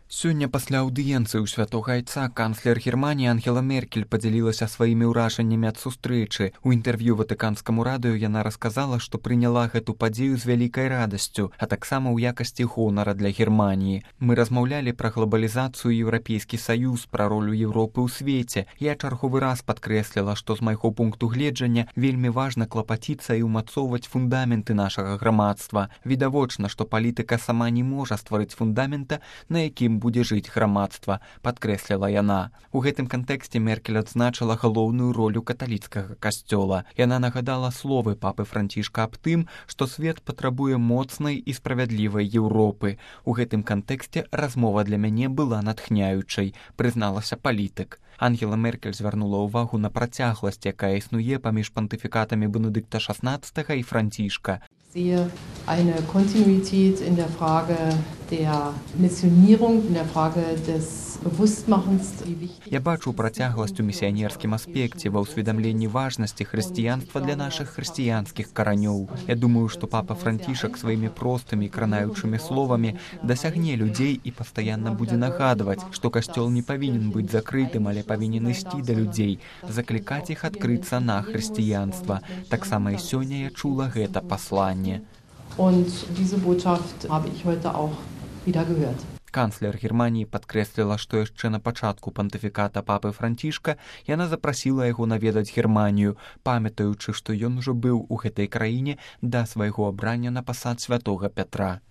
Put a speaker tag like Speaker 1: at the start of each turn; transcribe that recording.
Speaker 1: Сёння пасля аўдыенцыі ў святога айца канцлер Германіі Ангела Меркель падзялілася сваімі ўражаннямі ад сустрэчы. У інтэрв'ю ватыканскаму радыё яна расказала, што прыняла гэту падзею з вялікай радасцю, а таксама ў якасці гонара для Германіі. Мы размаўлялі пра глобалізацыю і Еўрапейскі саюз, пра ролю Еўропы ў свеце. Я чарговы раз падкрэсліла, што з майго пункту гледжання вельмі важна клапаціцца і ўмацоўваць фундаменты нашага грамадства. Відавочна, што палітыка сама не можа стварыць фундамента, на якім будзе жыць грамадства, падкрэсліла яна. У гэтым кантэксце Меркель адзначыла галоўную ролю каталіцкага касцёла. Яна нагадала словы папы Францішка аб тым, што свет патрабуе моцнай і справядлівай Еўропы. У гэтым кантэксце размова для мяне была натхняючай, прызналася палітык. Ангела Меркель звярнула ўвагу на працягласць, якая існуе паміж пантыфікатамі Бенедыкта XVI і Францішка.
Speaker 2: Sehe eine Kontinuität in der Frage der Missionierung, in der Frage des Bewusstmachens.
Speaker 1: Я бачу працягласць у місіянерскім аспекце ва ўсведамленні важнасці хрысціянства для нашых хрысціянскіх каранёў. Я думаю, што папа Францішак сваімі простымі кранаючымі словамі дасягне людзей і пастаянна будзе нагадваць, што касцёл не павінен быць закрытым, але павінен ісці да людзей, заклікаць іх адкрыцца на хрысціянства. Таксама і сёння я чула гэта пасланне.
Speaker 2: Und diese Botschaft habe ich heute auch wieder gehört.
Speaker 1: Канцлер Германіі падкрэсліла, што яшчэ на пачатку пантыфіката папы Францішка яна запрасіла яго наведаць Германію, памятаючы, што ён ужо быў у гэтай краіне да свайго абрання на пасад святога Пятра.